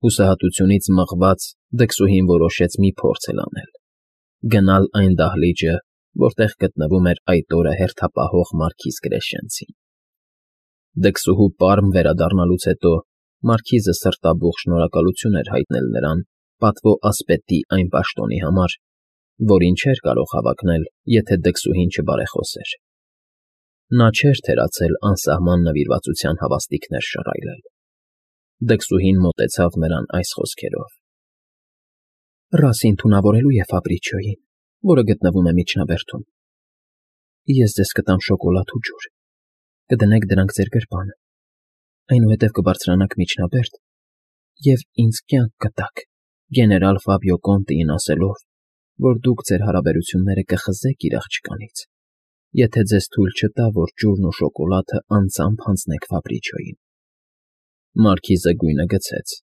Հուսահատությունից մղված դքսուհին որոշեց մի փորձ անել. գնալ այն դահլիճը, որտեղ գտնվում էր այդ օրը հերթապահող մարքիզ Կրեշենցին։ Դքսուհու պարմ վերադառնալուց հետո մարքիզը սրտաբուխ շնորհակալություն էր հայտնել նրան պատվո ասպետի այն պաշտոնի համար, որին չէր կարող հավակնել, եթե դքսուհին չբարեխոսեր։ Նա չէր թերացել անսահման նվիրվածության հավաստիքներ շռայլել։ Դքսուհին մոտեցավ նրան այս խոսքերով. Ռասին թունավորելու է Ֆաբրիչիոյին, որը գտնվում է միջնաբերդում։ Ես ձեզ կտամ շոկոլադ ու ջուր, կդնեք դրանք ձեր գրպանը, այնուհետև կբարձրանաք միջնաբերդ և ինձ կյանք կտաք, գեներալ Ֆաբիո Կոնտիին ասելով, որ դուք ձեր հարաբերությունները կխզեք իր աղջկանից, եթե ձեզ թույլ չտա, որ ջուրն ու շոկոլադը անձամբ հանձնեք Ֆաբրիչիոյին։ Մարքիզը գույնը գցեց,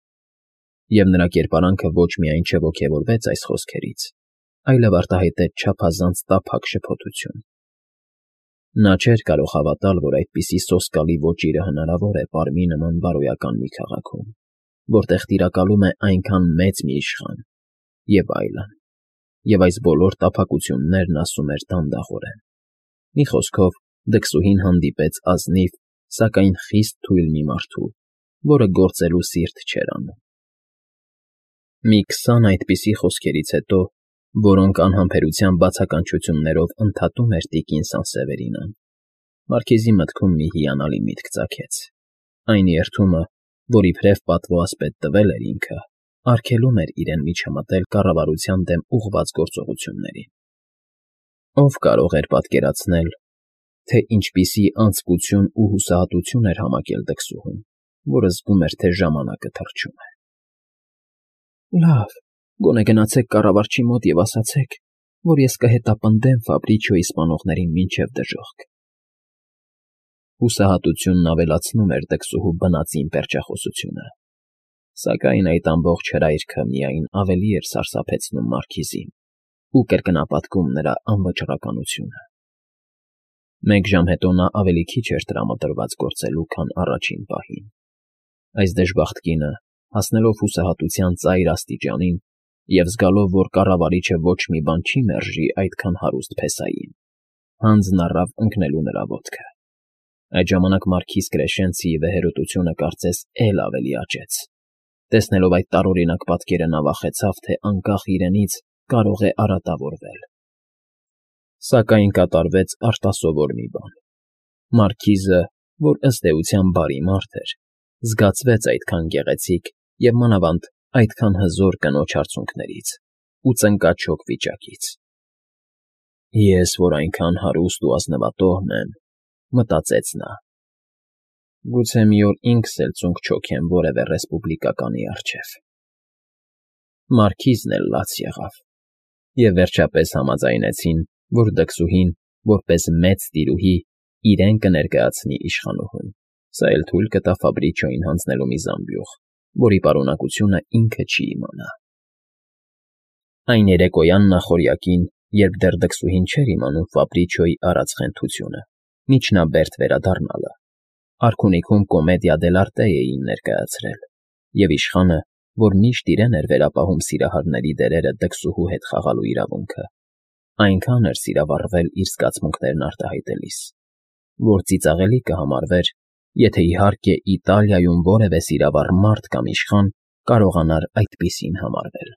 և նրա կերպարանքը ոչ միայն չոգևորվեց այս խոսքերից, այլև արտահայտեց չափազանց տափակ շփոթություն։ Նա չէր կարող հավատալ, որ այդպիսի սոսկալի ոճիրը հնարավոր է պարմի նման բարոյական մի քաղաքում, որտեղ տիրակալում է այնքան մեծ մի իշխան, և այլն, և այս բոլոր տափակություններն ասում էր դանդաղորեն։ Մի խոսքով, դքսուհին հանդիպեց ազնիվ, սակայն խիստ թույլ մի մարդու, որը գործելու սիրտ չէր անում։ Մի 20 այդպիսի խոսքերից հետո, որոնք անհամբերության բացականչություններով ընդհատում էր տիկին Սանսևերինան, մարքիզի մտքում մի հիանալի միտք ծագեց։ Այն երդումը, որ իբրև պատվո ասպետ տվել էր ինքը, արգելում էր իրեն միջամտել կառավարության դեմ ուղղված գործողություններին։ Ով կարող էր պատկերացնել, թե ինչպիսի անձկություն ու հուսահատություն էր համակել դքսուհուն, որը զգում էր, թե ժամանակը թռչում է։ Լավ, գոնե գնացեք կառավարչի մոտ և ասացեք, որ ես կհետապնդեմ Ֆաբրիչիոյի սպանողներին մինչև դժոխք։ Հուսահատությունն ավելացնում էր դքսուհու բնածին պերճախոսությունը, սակայն այդ ամբողջ հրայրքը միայն ավելի էր սարսափեցնում մարքիզին ու կրկնապատկում նրա անվճռականությունը։ Մեկ ժամ հետո նա ավելի քիչ էր տրամադրված գործելու, քան առաջին պահին։ Այս դժբախտ կինը, հասնելով հուսահատության ծայր աստիճանին և զգալով, որ կառավարիչը ոչ մի բան չի մերժի այդքան հարուստ փեսային, հանձն առավ ընկնելու նրա ոտքը։ Այդ ժամանակ մարքիզ Կրեշենցիի վեհերոտությունը կարծես էլ ավելի աճեց։ Տեսնելով այդ տարօրինակ պատկերը նա վախեցավ, թե անկախ իրենից կարող է արատավորվել։ Սակայն կատարվեց արտասովոր մի բան։ Մարքիզը, որ ըստ էության բարի մարդ էր, զգացվեց այդքան գեղեցիկ և մանավանդ այդքան հզոր կնոջ արցունքներից ու ծնկաչոք վիճակից։ Ես, որ այնքան հարուստ ու ազնվատոհն եմ, մտածեց նա, գուցե մի օր ինքս էլ ծունկ չօգեմ որևէ ռեսպուբլիկականի առջև։ Մարքիզն էլ լաց եղավ, և վերջապես համաձայնեցին, որ դքսուհին, որպես մեծ տիրուհի, իրեն կներկայացնի իշխանուհուն, սա էլ թույլ կտա Ֆաբրիչիոյին հանձնելու մի զամբյուղ, որի պարունակությունը ինքը չի իմանա։ Այն երեկոյան նախօրյակին, երբ դեռ դքսուհին չէր իմանում Ֆաբրիչիոյի արած խենթությունը, միջնաբերդ վերադառնալը, արքունիքում կոմեդիա դելարտե էին ներկայացրել, և իշխանը, որ միշտ իրեն էր վերապահում սիրահարների դերերը դքսուհու հետ խաղալու իրավունքը, այնքան էր սիրավառվել իր զգացմունքներն արտահայտելիս, որ ծիծաղելի կհամարվեր, եթե իհարկե Իտալիայում որևէ սիրավառ մարդ կամ իշխան կարողանար այդպիսին համարվել։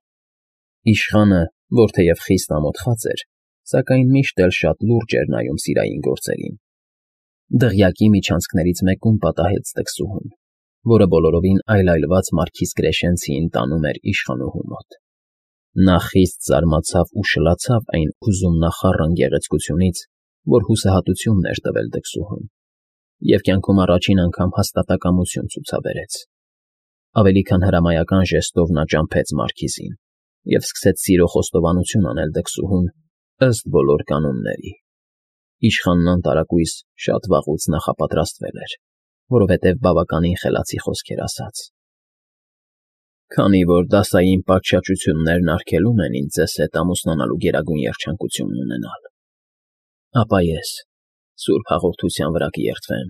Իշխանը, որ թեև խիստ ամոթխած էր, սակայն միշտ էլ շատ լուրջ էր նայում սիրային գործերին, դղյակի միջանցքներից մեկում պատահեց դքսուհուն, որը բոլորովին այլայլված մարքիզ Կրեշենցիին տանում էր իշխանուհու մոտ։ Նա խիստ զարմացավ ու շլացավ այն ուսումնախառն գեղեցկությունից, որ հուսահատությունն էր տվել դքսուհուն, և կյանքում առաջին անգամ հաստատակամություն ցուցաբերեց։ Ավելի քան հրամայական ժեստով նա ճամփեց մարքիզին և սկսեց սիրո խոստովանություն անել դքսուհուն ըստ բոլոր կանոնների։ Իշխանն անտարակույս շատ վաղուց նախապատրաստվել էր, որովհետև բավականին խելացի խոսքեր ասաց։ Քանի որ դասային պատշաճություններն արգելում են ինձ ձեզ հետ ամուսնանալու գերագույն երջանկությունն ունենալ, ապա ես սուրբ հաղորդության վրա կերդվեմ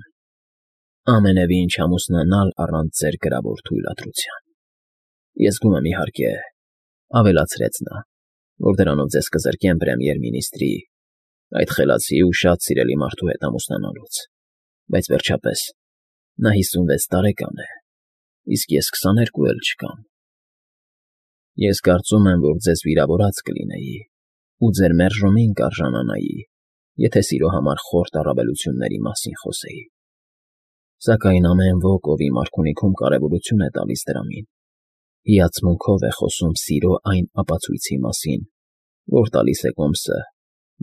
ամենևին չամուսնանալ առանց ձեր գրավոր թույլատրության։ Ես գում եմ, իհարկե, ավելացրեց նա, որ դրանով ձեզ կզրկեմ պրեմիեր֊մինիստրի, այդ խելացի ու շատ սիրելի մարդու հետ ամուսնանալուց, բայց վերջապես նա 56 տարեկան է, իսկ ես 22 էլ չկամ։ Ես կարծում եմ, որ ձեզ վիրավորած կլինեի ու ձեր մերժումին կարժանանայի, եթե սիրո համար խորտ առավելությունների մասին խոսեի։ Սակայն ամեն ոք, ով իմ արքունիքում կարևորություն է տալիս դրամին, հիացմունքով է խոսում սիրո այն ապացույցի մասին, որ տալիս է կոմսը,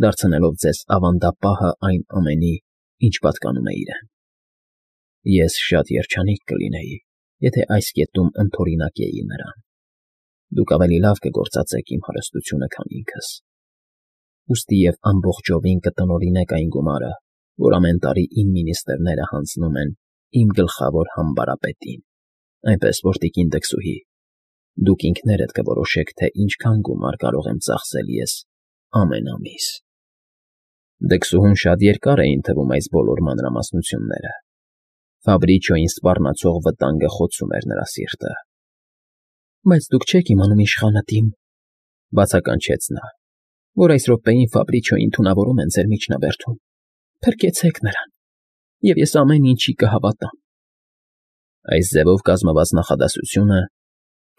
դարձնելով ձեզ ավանդապահը այն ամենի, ինչ պատկանում է իրեն։ Ես շատ երջանիկ կլինեի, եթե այս կետում ընդօրինակեի նրան։ Դուք ավելի լավ կգործածեք իմ հարստությունը, քան ինքս։ Ուստի և ամբողջովին կտնօրինեք այն գումարը, որ ամեն տարի իմ մինիստրները հանձնում են իմ գլխավոր համբարապետին, այնպես որ տիկին դքսուհի, դուք ինքներդ կորոշեք, թե ինչքան գումար կարող եմ ծախսել ես ամեն ամիս։ Դքսուհուն շատ երկար էին թվում այս բոլոր մանրամասնությունները։ Ֆաբրիչոյին սպառնացող վտանգը խոցում էր նրա սիրտը։ Բայց դուք չեք իմանում, իշխանատիմ, բացականչեց նա, որ այս րոպեին Ֆաբրիչոյին թունավորում են ձեր միջնաբերդում։ Փրկեցեք նրան, և ես ամեն ինչի կհավատամ։ Այս ձևով կազմված նախադասությունը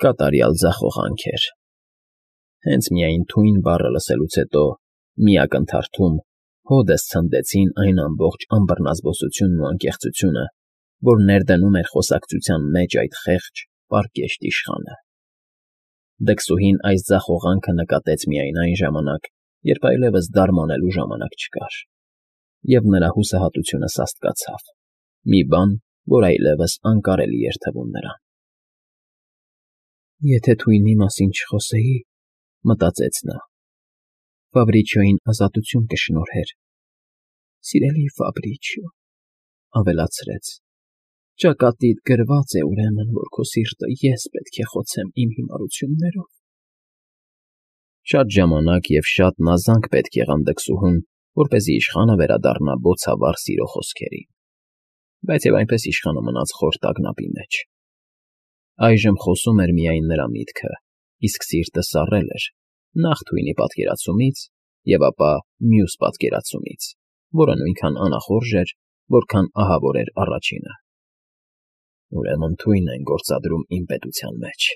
կատարյալ ձախողանք էր։ Հենց միայն թույն բառը լսելուց հետո մի ակնթարթում հոդս ցնդեցին այն ամբողջ անբռնազբոսությունն ու անկեղծությունը, որ ներդնում էր խոսակցության մեջ այդ խեղճ, պարկեշտ իշխանը։ Դքսուհին այս ձախողանքը նկատեց միայն այն ժամանակ, երբ այլևս դարմանելու ժամանակ չկար, և նրա հուսահատությունը սաստկացավ, մի բան, որ այլևս անկարելի էր թվում նրան։ Եթե թույնի մասին չխոսեի, մտածեց նա, Ֆաբրիչոյին ազատություն կշնորհեր։ Սիրելի Ֆաբրիչիո, ավելացրեց, ճակատիդ գրված է ուրեմն, որ քո սիրտը ես պետք է խոցեմ իմ հիմարություններով։ Շատ ժամանակ և շատ նազանք պետք եղան դքսուհուն, որպեսզի իշխանը վերադառնա բոցավառ սիրո խոսքերին, բայց և այնպես իշխանը մնաց խոր տագնապի մեջ։ Այժմ խոսում էր միայն նրա միտքը, իսկ սիրտը սառել էր նախ թույնի պատկերացումից և ապա մյուս պատկերացումից, որը նույնքան անախորժ էր, որքան ահավոր էր առաջինը։ Ուրեմն թույն են գործադրում իմ պետության մեջ,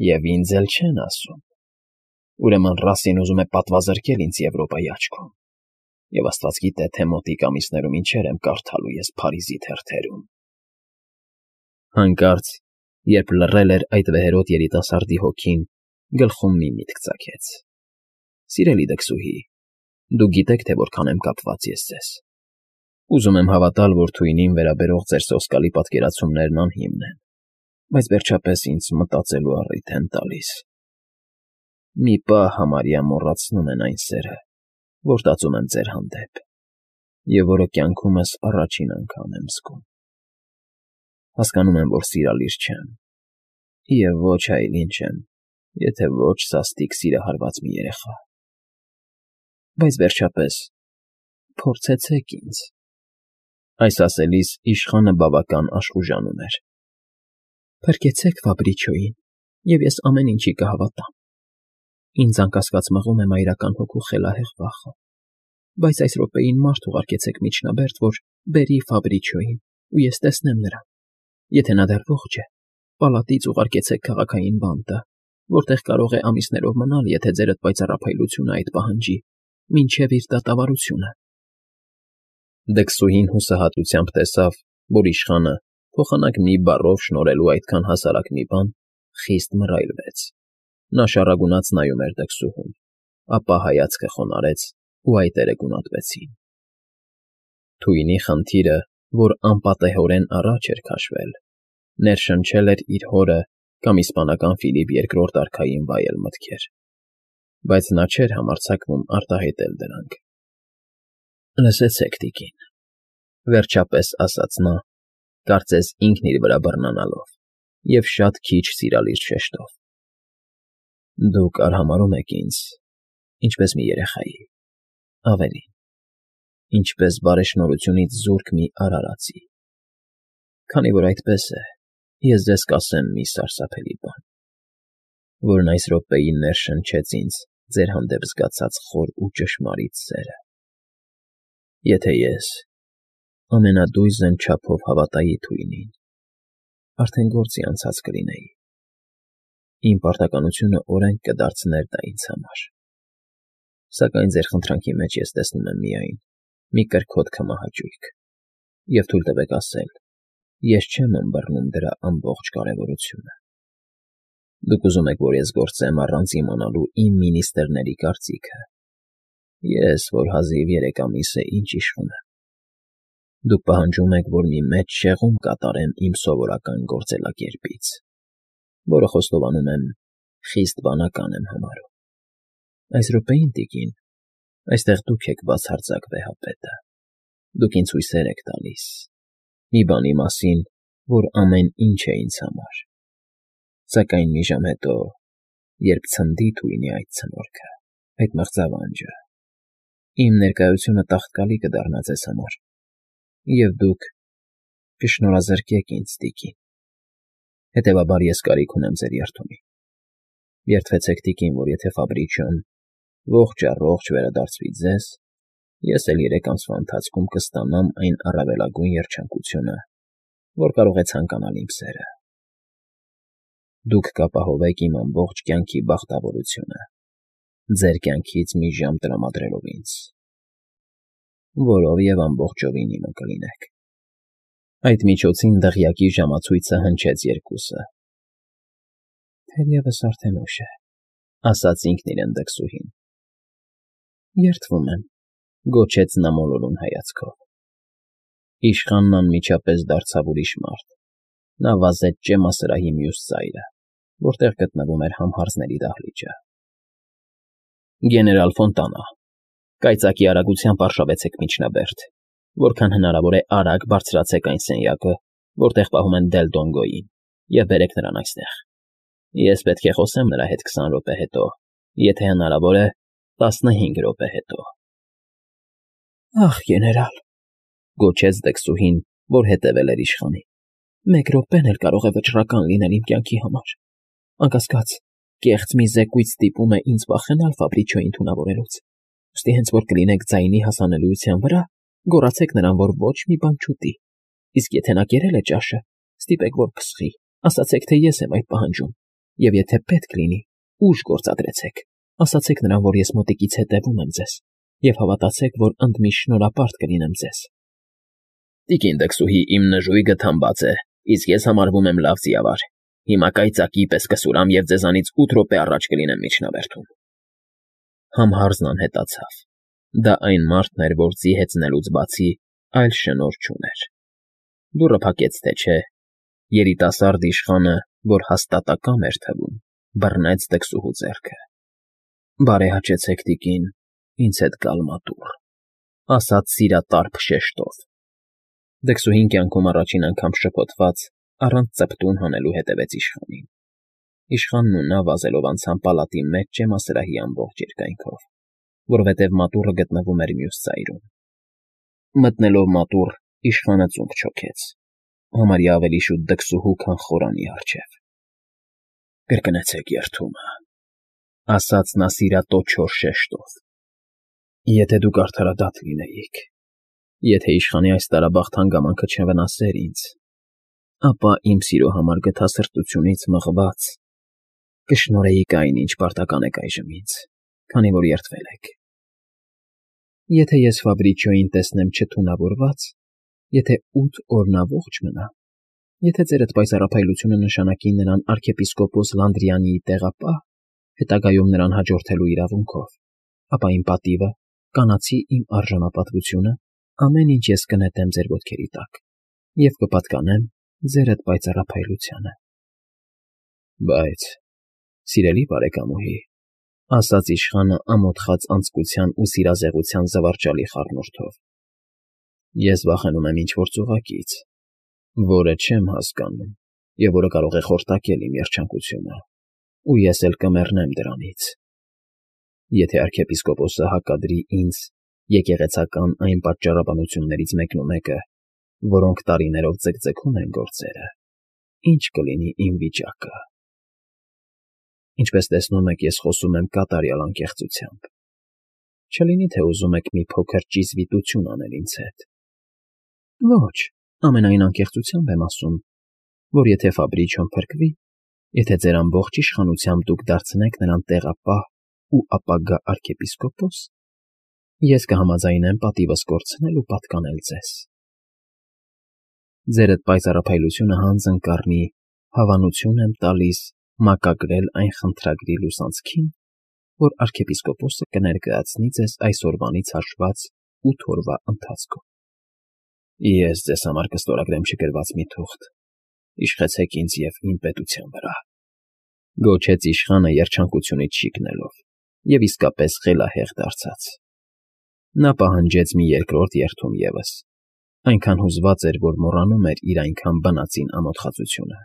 և ինձ էլ չեն ասում։ Ուրեմն Ռասին ուզում է պատվազրկել ինձ Եվրոպայի աչքում, և աստված գիտե, թե մոտիկ ամիսներում ինչեր եմ կարդալու ես Փարիզի թերթերում։ Հանկարծ, երբ լռել էր այդ վեհերաս երիտասարդի հոգին, գլխում մի միտք ծագեց։ Սիրելի դքսուհի, դուք գիտեք, թե որքան եմ կապված ես ձեզ։ Ուզում եմ հավատալ, որ թույնին վերաբերող ձեր սոսկալի պատկերացումներն անհիմն են, բայց վերջապես ինձ մտածելու առիթ են տալիս։ Մի պահ համարյա մոռացնում են այն սերը, որ տածում եմ ձեր հանդեպ, և որը կյանքումս առաջին անգամ եմ զգում։ Հասկանում եմ, որ սիրալիր չեմ, և ոչ այլ ինչ եմ, եթե ոչ սաստիկ սիրահարված մի երեխա։ Բայց վերջապես փորձեցեք ինձ։ Այս ասելիս իշխանը բավական աշխուժանում էր։ Փրկեցեք Ֆաբրիչոյին, և ես ամեն ինչի կհավատամ։ Ինձ անկասկած մղում է մայրական հոգու խելահեղ վախը, բայց այս րոպեին մարդ ուղարկեցեք միջնաբերդ, որ բերի Ֆաբրիչոյին, ու ես տեսնեմ նրան։ Եթե նա դեռ ողջ է, պալատից ուղարկեցեք քաղաքային բանտը, որտեղ կարող է ամիսներով մնալ, եթե ձերդ պայծառափայլությունը այդ պահանջի, մինչև իր դատավարությունը։ Դքսուհին հուսահատությամբ տեսավ, որ իշխանը, փոխանակ մի բառով շնորհելու այդքան հասարակ մի բան, խիստ մռայլվեց։ Նա շառագունած նայում էր դքսուհուն, ապա հայացքը խոնարհեց, ու այտերը գունատվեցին։ Թույնի խնդիրը, որ անպատեհորեն առաջ էր քաշվել, ներշնչել էր իր հորը կամ իսպանական Ֆիլիպ II արքային վայել մտքեր, բայց նա չէր համարձակվում արտահայտել դրանք։ Լսեցեք, տիկին, վերջապես ասաց նա, կարծես ինքն իր վրա բռնանալով և շատ քիչ սիրալիր շեշտով։ Դուք արհամարհում եք ինձ, ինչպես մի երեխայի, ավելին, ինչպես բարեշնորհությունից զուրկ մի արարածի։ Քանի որ այդպես է, ես ձեզ կասեմ մի սարսափելի բան։ որն այս րոպեին ներշնչեց ինձ ձեր հանդեպ զգացած խոր ու ճշմարիտ սերը։ Եթե ես ամենադույզն չափով հավատայի թույնին, արդեն գործի անցած կլինեի։ Իմ պարտականությունը օրենք կդարձներ դա ինձ համար։ Սակայն ձեր խնդրանքի մեջ ես տեսնում եմ միայն մի կրքոտ քմահաճույք, և թույլ տվեք ասել, ես չեմ ըմբռնում դրա ամբողջ կարևորությունը։ Դուք ուզում եք, որ ես գործեմ առանց իմանալու իմ մինիստրների կարծիքը։ Ես, որ հազիվ 3 ամիս է ինչ իշխում եմ։ Դուք պահանջում եք, որ մի մեծ շեղում կատարեմ իմ սովորական գործելակերպից, որը խոստովանում եմ խիստ բանական եմ համարում։ Այս րոպեին, տիկին, այստեղ դուք եք բացարձակ վեհապետը։ Դուք ինձ հույսեր եք տալիս, մի բանի մասին, որ ամեն ինչ է ինձ համար։ Սակայն մի ժամ հետո, երբ ցնդի թույնի այդ ցնորքը, այդ մղձավանջը, իմ ներկայությունը տաղտկալի կդառնա ձեզ համար, և դուք կշնորհազրկեք ինձ, տիկին։ Հետևաբար ես կարիք ունեմ ձեր երդումի։ Երդվեցեք, տիկին, որ եթե Ֆաբրիչոն ողջ առողջ վերադարձվի ձեզ, ես էլ 3 ամսվա ընթացքում կստանամ այն առավելագույն երջանկությունը, որ կարող է ցանկանալ իմ սերը։ Դուք կապահովեք իմ ամբողջ կյանքի բախտավորությունը, ձեր կյանքից մի ժամ տրամադրելով ինձ, որով և ամբողջովին իմը կլինեք։ Այդ միջոցին դղյակի ժամացույցը հնչեց երկուսը։ Թերևս արդեն ուշ է, ասաց ինքն իրեն դքսուհին։ Երդվում եմ, գոչեց նա մոլորուն հայացքով։ Իշխանն անմիջապես դարձավ ուրիշ մարդ։ Նա վազեց ճեմասրահի մյուս ծայրը, որտեղ գտնվում էր համհարձների դահլիճը։ Գեներալ Ֆոնտանա, կայծակի արագությամբ արշավեցեք միջնաբերդ, որքան հնարավոր է արագ բարձրացեք այն սենյակը, որտեղ պահում են Դել Դոնգոյին, և բերեք նրան այստեղ։ Ես պետք է խոսեմ նրա հետ 20 րոպե հետո, եթե հնարավոր է 15 րոպե հետո։ Ախ, գեներալ, գոչեց դքսուհին, որ հետևել էր իշխանին։ 1 րոպեն էլ կարող է վճռական լինել իմ կյանքի համար։ Անկասկած, կեղծ մի զեկույց ստիպում է ինձ վախենալ Ֆաբրիչոյին թունավորելուց։ Ուստի հենց որ կլինեք ձայնի հասանելիության վրա, գոռացեք նրան, որ ոչ մի բան չուտի։ Իսկ եթե նա կերել է ճաշը, ստիպեք, որ փսխի, ասացեք, թե ես եմ այդ պահանջում։ Եվ եթե պետք լինի, ուժ գործադրեցեք, ասացեք նրան, որ ես մոտիկից հետևում եմ ձեզ, և հավատացեք, որ ընդմիշտ շնորհապարտ կլինեմ ձեզ։ Տիկին դքսուհի, իմ նժույգը թամբած է, իսկ ես համարվում եմ լավ ձիավար։ Հիմա կայծակի պես կսուրամ և ձեզանից 8 րոպե առաջ կլինեմ միջնաբերդում։ Համհարձն անհետացավ։ Դա այն մարդն էր, որ ձի հեծնելուց բացի այլ շնորհ չուներ։ Դուռը փակեց, թե չէ, երիտասարդ իշխանը, որ հաստատակամ էր թվում, բռնեց դքսուհու ձեռքը։ Բարեհաճեցեք, տիկին, ինձ հետ գալ մատուռ, ասաց սիրատարփ շեշտով։ Դքսուհին կյանքում առաջին անգամ շփոթված, առանց ծպտուն հանելու հետևեց իշխանին։ Իշխանն ու նա վազելով անցան պալատի մեջ ճեմասրահի ամբողջ երկայնքով, որովհետև մատուռը գտնվում էր մյուս ծայրում։ Մտնելով մատուռ, իշխանը ծունկ չոքեց, համարյա ավելի շուտ դքսուհու, քան խորանի առջև։ Կրկնեցեք երդումը, ասաց նա սիրատոչոր շեշտով։ Եթե դուք արդարադատ լինեիք, եթե իշխանի այս տարաբախտ հանգամանքը չվնասեր ինձ, ապա իմ սիրո համար գթասրտությունից մղված կշնորհեիք այն, ինչ պարտական եք այժմ ինձ, քանի որ երդվել եք։ Եթե ես Ֆաբրիչոյին տեսնեմ չթունավորված, եթե 8 օր նա ողջ մնա, եթե ձեր այդ պայծառափայլությունը նշանակի նրան arczepiskopos Լանդրիանիի տեղապահ, հետագայում նրան հաջորդելու իրավունքով, ապա իմ պատիվը, կանացի իմ արժանապատվությունը, ամեն ինչ ես կնետեմ ձեր ոտքերի տակ և կպատկանեմ ձեր այդ պայծառափայլությանը։ Բայց, սիրելի բարեկամուհի, ասաց իշխանը ամոթխած անձկության ու սիրազեղության զվարճալի խառնուրդով, ես վախենում եմ ինչ-որ ծուղակից, որը չեմ հասկանում և որը կարող է խորտակել իմ երջանկությունը, ու ես էլ կմեռնեմ դրանից։ Եթե arczepiskopos-ը հակադրի ինձ եկեղեցական այն պատճառաբանություններից մեկնումեկը, որոնք տարիներով ձգձգում են գործերը, ինչ կլինի իմ վիճակը։ Ինչպես տեսնում եք, ես խոսում եմ կատարյալ անկեղծությամբ։ Չլինի թե ուզում եք մի փոքր ճիզվիտություն անել ինձ հետ։ Ոչ, ամենայն անկեղծությամբ եմ ասում, որ եթե Ֆաբրիչոն փրկվի, եթե ձեր ամբողջ իշխանությամբ դուք դարձնեք նրան տեղապահ ու ապագա արքեպիսկոպոս, ես կհամաձայնեմ պատիվս կորցնել ու պատկանել ձեզ։ Ձեր այդ պայծառափայլությունը հանձն կառնի, հավանություն եմ տալիս մակագրել այն խնդրագրի լուսանցքին, որ արքեպիսկոպոսը կներկայացնի ձեզ այսօրվանից հաշված 8 օրվա ընթացքում։ Ես ձեզ համար կստորագրեմ չգրված մի թուղթ. Իշխեցեք ինձ և իմ պետության վրա, գոչեց իշխանը երջանկությունից շիկնելով և իսկապես խելահեղ դարձած։ Նա պահանջեց մի երկրորդ երդում ևս, այնքան հուզված էր, որ մոռանում էր իր այնքան բնածին ամոթխածությունը,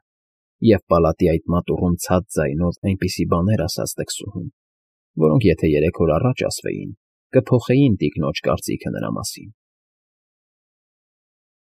և պալատի այդ մատուռում ցած ձայնով այնպիսի բաներ ասաց դքսուհուն, որոնք եթե 3 օր առաջ ասվեին, կփոխեին տիկնոջ կարծիքը նրա մասին։